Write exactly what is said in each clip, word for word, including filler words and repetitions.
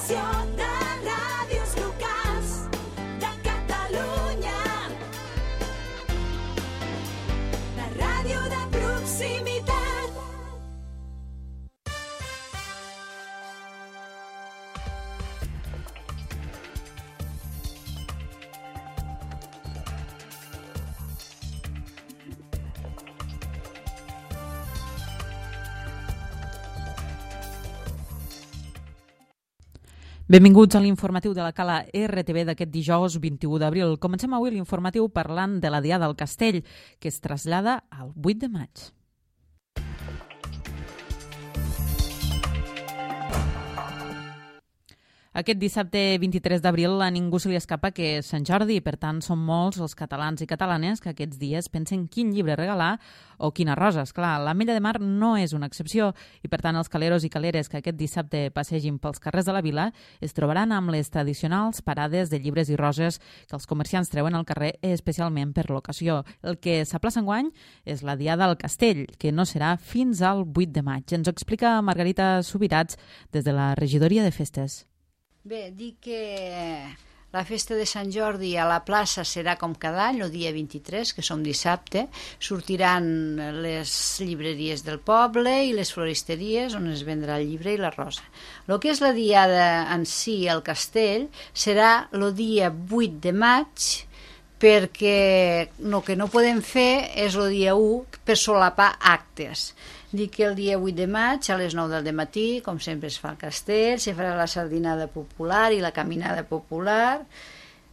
Associació de Ràdios Locals de Catalunya. La ràdio de proximitat. Benvinguts a l'informatiu de la Cala R T V d'aquest dijous vint-i-u d'abril. Comencem avui l'informatiu parlant de la Diada del Castell, que es trasllada al vuit de maig. Aquest dissabte vint-i-tres d'abril a ningú se li escapa que és Sant Jordi, per tant són molts els catalans i catalanes que aquests dies pensen quin llibre regalar o quina rosa. Esclar, l'Ametlla de Mar no és una excepció i per tant els caleros i caleres que aquest dissabte passegin pels carrers de la vila es trobaran amb les tradicionals parades de llibres i roses que els comerciants treuen al carrer especialment per l'ocasió. El que s'aplaça enguany és la Diada del Castell, que no serà fins al vuit de maig. Ens ho explica Margarita Subirats des de la regidoria de festes. Bé, dic que la festa de Sant Jordi a la plaça serà com cada any, el dia vint-i-tres, que som dissabte. Sortiran les llibreries del poble i les floristeries on es vendrà el llibre i la rosa. El que és la diada en si, al castell, serà el dia vuit de maig, perquè el que no podem fer és el dia u per solapar actes. Dic que el dia vuit de maig a les nou del matí, com sempre es fa al castell, se farà la sardinada popular i la caminada popular.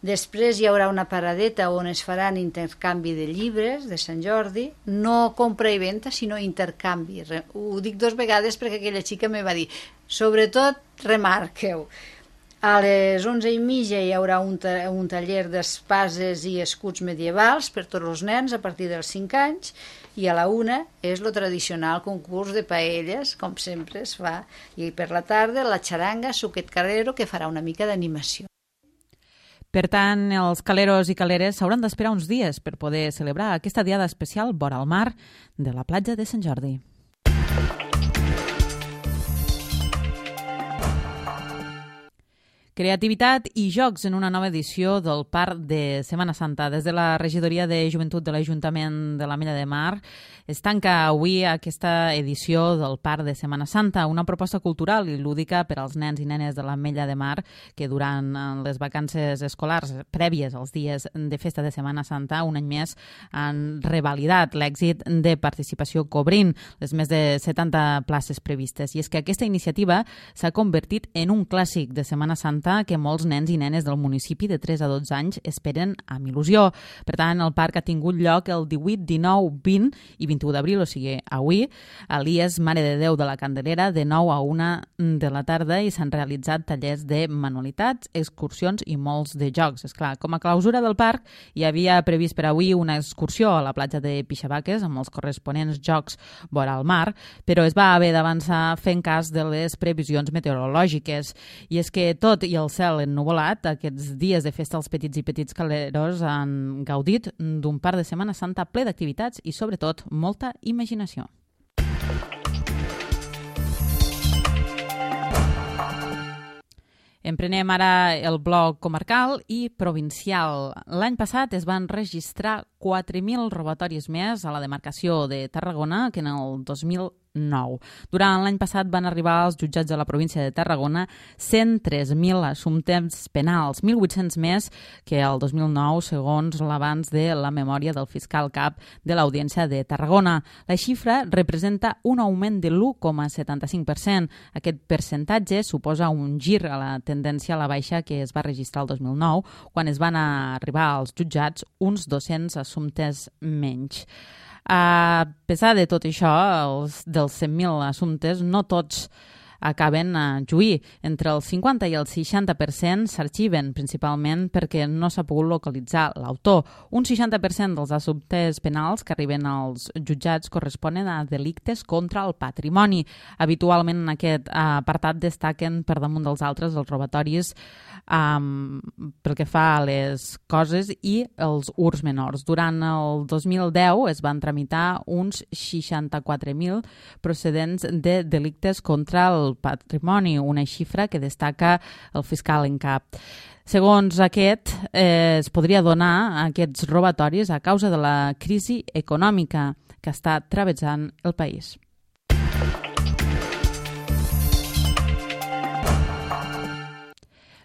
Després hi haurà una paradeta on es faran intercanvi de llibres de Sant Jordi, no compra i venda, sinó intercanvi. Ho dic dos vegades perquè aquella xica me va dir, sobretot remarqueu. A les onze i mitja hi haurà un, ta un taller d'espases i escuts medievals per tots els nens a partir dels cinc anys i a la una és el tradicional concurs de paelles, com sempre es fa. I per la tarda la xaranga Suquet Carrero, que farà una mica d'animació. Per tant, els caleros i caleres s'hauran d'esperar uns dies per poder celebrar aquesta diada especial vora el mar de la platja de Sant Jordi. Creativitat i jocs en una nova edició del Parc de Setmana Santa. Des de la regidoria de Joventut de l'Ajuntament de l'Ametlla de Mar es tanca avui aquesta edició del Parc de Setmana Santa, una proposta cultural i lúdica per als nens i nenes de l'Ametlla de Mar que durant les vacances escolars prèvies als dies de festa de Setmana Santa un any més han revalidat l'èxit de participació cobrint les més de setanta places previstes. I és que aquesta iniciativa s'ha convertit en un clàssic de Setmana Santa que molts nens i nenes del municipi de tres a dotze anys esperen amb il·lusió. Per tant, el parc ha tingut lloc el divuit, dinou, vint i vint-i-u d'abril, o sigui, avui, a l'I E S Mare de Déu de la Candelera, de nou a una de la tarda, i s'han realitzat tallers de manualitats, excursions i molts de jocs. Esclar, com a clausura del parc hi havia previst per avui una excursió a la platja de Pixabaques amb els corresponents jocs vora el mar, però es va haver d'avançar fent cas de les previsions meteorològiques. I és que tot i el cel ennuvolat, aquests dies de festa els petits i petits caleros han gaudit d'un parc de Setmana Santa ple d'activitats i, sobretot, molta imaginació. Emprenem ara el bloc comarcal i provincial. L'any passat es van registrar quatre mil robatoris més a la demarcació de Tarragona que en el dos mil nou. Durant l'any passat van arribar als jutjats de la província de Tarragona cent tres mil assumptes penals, mil vuit-cents més que el dos mil nou, segons l'avanç de la memòria del fiscal cap de l'Audiència de Tarragona. La xifra representa un augment de l'u coma setanta-cinc per cent. Aquest percentatge suposa un gir a la tendència a la baixa que es va registrar el dos mil nou, quan es van arribar als jutjats uns dos-cents assumptes menys. A pesar de tot això, els dels cent mil assumptes, no tots acaben a juir. Entre el cinquanta i el seixanta per cent s'arxiven, principalment perquè no s'ha pogut localitzar l'autor. Un seixanta per cent dels assumptes penals que arriben als jutjats corresponen a delictes contra el patrimoni. Habitualment en aquest apartat destaquen per damunt dels altres els robatoris um, pel que fa a les coses i els hurts menors. Durant el dos mil deu es van tramitar uns seixanta-quatre mil procedents de delictes contra el del patrimoni, una xifra que destaca el fiscal en cap. Segons aquest, eh, es podria donar aquests robatoris a causa de la crisi econòmica que està travessant el país.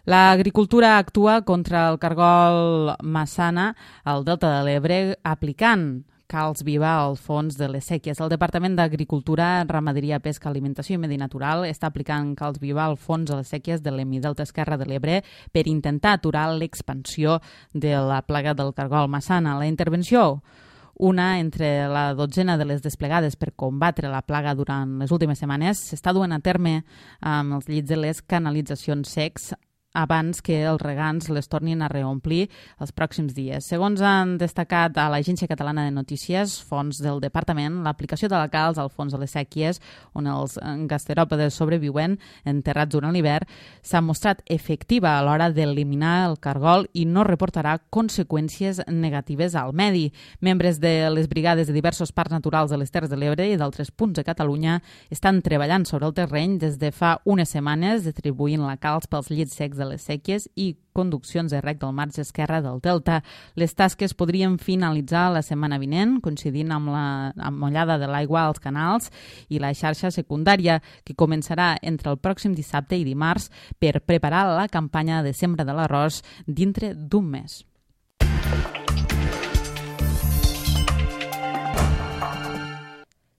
L'agricultura actua contra el cargol massana al Delta de l'Ebre aplicant calç viva al fons de les sèquies. El Departament d'Agricultura, Ramaderia, Pesca, Alimentació i Medi Natural està aplicant calç viva al fons de les sèquies de l'Hemidelta Esquerre de l'Ebre per intentar aturar l'expansió de la plaga del cargol massana. La intervenció, una entre la dotzena de les desplegades per combatre la plaga durant les últimes setmanes, s'està duent a terme amb els llits de les canalitzacions secs abans que els regants les tornin a reomplir els pròxims dies. Segons han destacat a l'Agència Catalana de Notícies, fons del Departament, l'aplicació de la calç al fons de les sèquies, on els gasteròpodes sobreviuen enterrats durant l'hivern, s'ha mostrat efectiva a l'hora d'eliminar el cargol i no reportarà conseqüències negatives al medi. Membres de les brigades de diversos parcs naturals de les Terres de l'Ebre i d'altres punts de Catalunya estan treballant sobre el terreny des de fa unes setmanes, distribuint la calç pels llits secs de les sèquies i conduccions de rec del marge esquerre del Delta. Les tasques podrien finalitzar la setmana vinent, coincidint amb la amollada de l'aigua als canals i la xarxa secundària, que començarà entre el pròxim dissabte i dimarts per preparar la campanya de sembra de l'arròs dintre d'un mes.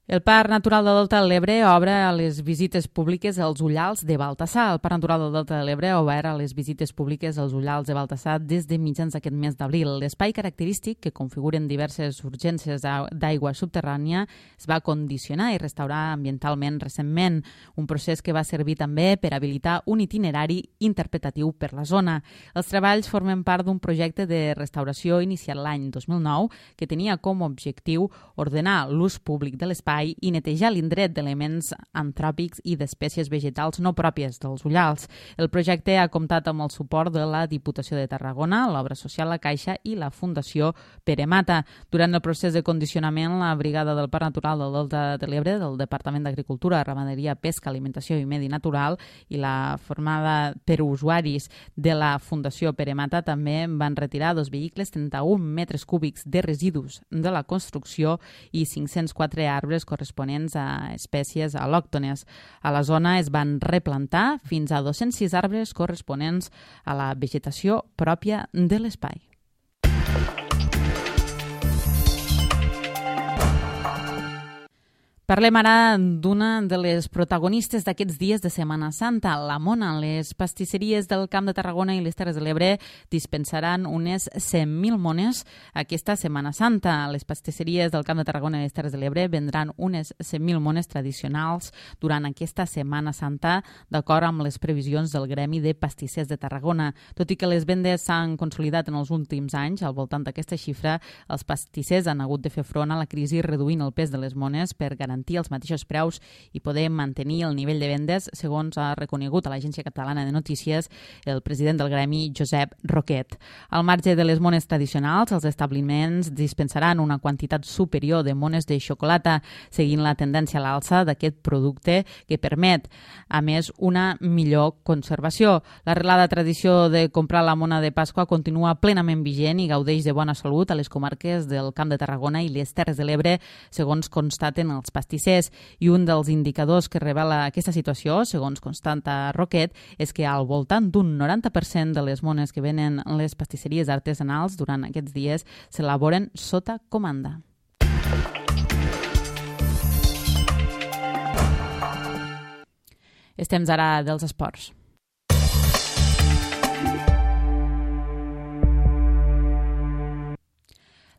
El Parc Natural del Delta de l'Ebre obre a les visites públiques als ullals de Baltasar. El Parc Natural del Delta de l'Ebre ha obert a les visites públiques als ullals de Baltasar des de mitjans d'aquest mes d'abril. L'espai característic, que configuren diverses urgències d'aigua subterrània, es va condicionar i restaurar ambientalment recentment, un procés que va servir també per habilitar un itinerari interpretatiu per la zona. Els treballs formen part d'un projecte de restauració iniciat l'any dos mil nou que tenia com a objectiu ordenar l'ús públic de l'espai i netejar l'indret d'elements antròpics i d'espècies vegetals no pròpies dels ullals. El projecte ha comptat amb el suport de la Diputació de Tarragona, l'Obra Social La Caixa i la Fundació Pere Mata. Durant el procés de condicionament, la Brigada del Parc Natural del Delta de l'Ebre, del Departament d'Agricultura, Ramaderia, Pesca, Alimentació i Medi Natural i la formada per usuaris de la Fundació Pere Mata també van retirar dos vehicles, trenta-un metres cúbics de residus de la construcció i cinc-cents quatre arbres corresponents a espècies al·lòctones. A la zona es van replantar fins a dos-cents sis arbres corresponents a la vegetació pròpia de l'espai. Parlem ara d'una de les protagonistes d'aquests dies de Setmana Santa, la mona. Les pastisseries del Camp de Tarragona i les Terres de l'Ebre dispensaran unes cent mil mones aquesta Setmana Santa. Les pastisseries del Camp de Tarragona i les Terres de l'Ebre vendran unes cent mil mones tradicionals durant aquesta Setmana Santa, d'acord amb les previsions del Gremi de Pastissers de Tarragona. Tot i que les vendes s'han consolidat en els últims anys, al voltant d'aquesta xifra, els pastissers han hagut de fer front a la crisi reduint el pes de les mones per garantir els mateixos preus i poder mantenir el nivell de vendes, segons ha reconegut a l'Agència Catalana de Notícies el president del gremi, Josep Roquet. Al marge de les mones tradicionals, els establiments dispensaran una quantitat superior de mones de xocolata, seguint la tendència a l'alça d'aquest producte que permet, a més, una millor conservació. L'arrelada tradició de comprar la mona de Pasqua continua plenament vigent i gaudeix de bona salut a les comarques del Camp de Tarragona i les Terres de l'Ebre, segons constaten els pastissers. I un dels indicadors que revela aquesta situació, segons constata Roquet, és que al voltant d'un noranta per cent de les mones que venen les pastisseries artesanals durant aquests dies s'elaboren sota comanda. És temps ara dels esports.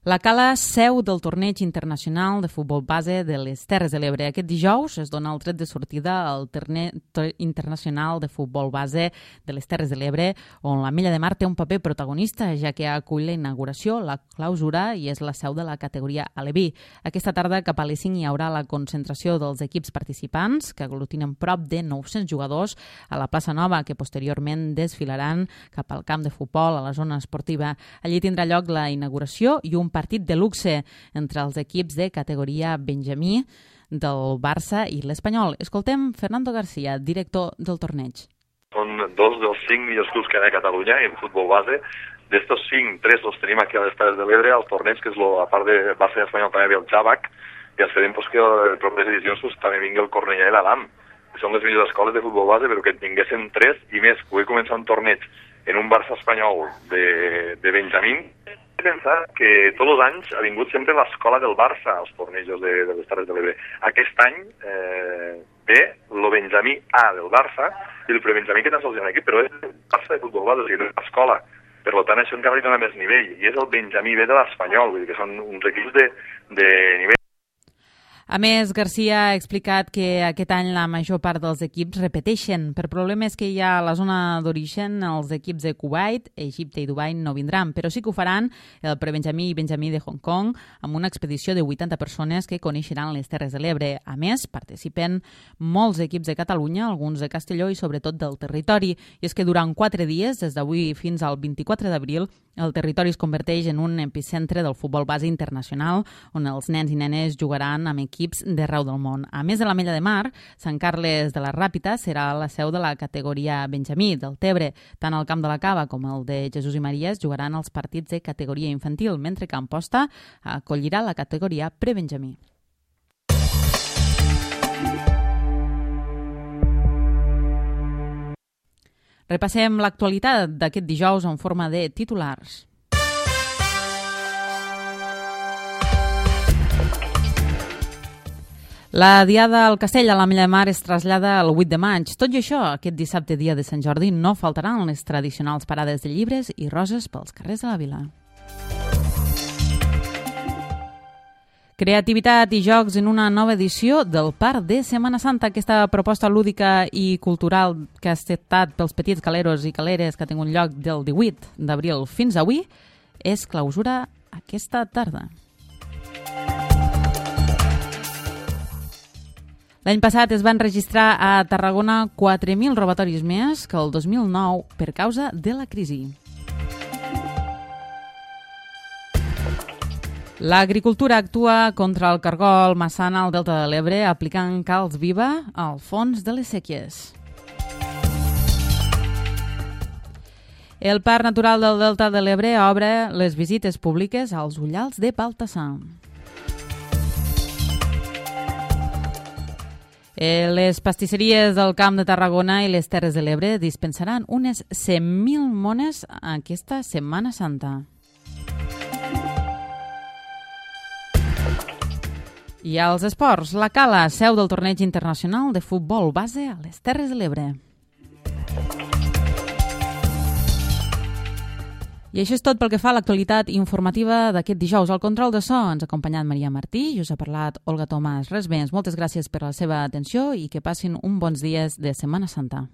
La Cala, seu del torneig internacional de futbol base de les Terres de l'Ebre. Aquest dijous es dona el tret de sortida al torneig internacional de futbol base de les Terres de l'Ebre, on la Milla de Mar té un paper protagonista, ja que acull la inauguració, la clausura i és la seu de la categoria Aleví. Aquesta tarda, cap a les cinc, hi haurà la concentració dels equips participants, que aglutinen prop de nou-cents jugadors a la plaça Nova, que posteriorment desfilaran cap al camp de futbol, a la zona esportiva. Allí tindrà lloc la inauguració i un partit de luxe entre els equips de categoria Benjamí del Barça i l'Espanyol. Escoltem Fernando García, director del torneig. Són dos dels cinc millors clubs que hi ha a Catalunya en futbol base. D'estos cinc, tres els tenim aquí a les Terres de l'Ebre, al torneig, que és lo, a part de Barça i Espanyol també ve el Xabac, i esperem pues, que en properes edicions pues, també vingui el Cornellà i l'Adam, que són les millors escoles de futbol base, però que en tinguessin tres i més, poder començar un torneig en un Barça espanyol de, de Benjamín. He pensat que tots els anys ha vingut sempre l'escola del Barça als tornejos de, de les Terres de l'Ebre. Aquest any eh, ve el Benjamí A del Barça i el prebenjamí que tan sols hi ha aquí, però és el Barça de futbol base, o sigui, no és l'escola. Per tant, això encara li dona més nivell, i és el Benjamí B de l'Espanyol, vull dir que són uns equips de, de nivell. A més, García ha explicat que aquest any la major part dels equips repeteixen. Per problemes que hi ha a la zona d'origen, els equips de Kuwait, Egipte i Dubai no vindran, però sí que ho faran el prebenjamí i benjamí de Hong Kong amb una expedició de vuitanta persones que coneixeran les Terres de l'Ebre. A més, participen molts equips de Catalunya, alguns de Castelló i sobretot del territori. I és que durant quatre dies, des d'avui fins al vint-i-quatre d'abril, el territori es converteix en un epicentre del futbol base internacional, on els nens i nenes jugaran amb equips d'arreu del món. A més de l'Ametlla de Mar, Sant Carles de la Ràpita serà la seu de la categoria Benjamí del Tebre. Tant el Camp de la Cava com el de Jesús i Maria es jugaran els partits de categoria infantil, mentre que Amposta acollirà la categoria prebenjamí. Repassem l'actualitat d'aquest dijous en forma de titulars. La Diada al Castell a l'Ametlla de Mar es trasllada el vuit de maig. Tot i això, aquest dissabte, dia de Sant Jordi, no faltaran les tradicionals parades de llibres i roses pels carrers de la vila. Creativitat i jocs en una nova edició del Parc de Setmana Santa. Aquesta proposta lúdica i cultural que ha estat pels petits caleros i caleres que ha tingut lloc del divuit d'abril fins avui és clausura aquesta tarda. L'any passat es van registrar a Tarragona quatre mil robatoris més que el dos mil nou per causa de la crisi. L'agricultura actua contra el cargol massana al Delta de l'Ebre aplicant calç viva al fons de les séquies. El Parc Natural del Delta de l'Ebre obre les visites públiques als ullals de Baltasar. Les pastisseries del Camp de Tarragona i les Terres de l'Ebre dispensaran unes cent mil mones aquesta Setmana Santa. I als esports, la Cala, seu del torneig internacional de futbol base a les Terres de l'Ebre. I això és tot pel que fa a l'actualitat informativa d'aquest dijous. Al control de so ens ha acompanyat Maria Martí i us ha parlat Olga Tomàs. Res més, moltes gràcies per la seva atenció i que passin uns bons dies de Setmana Santa.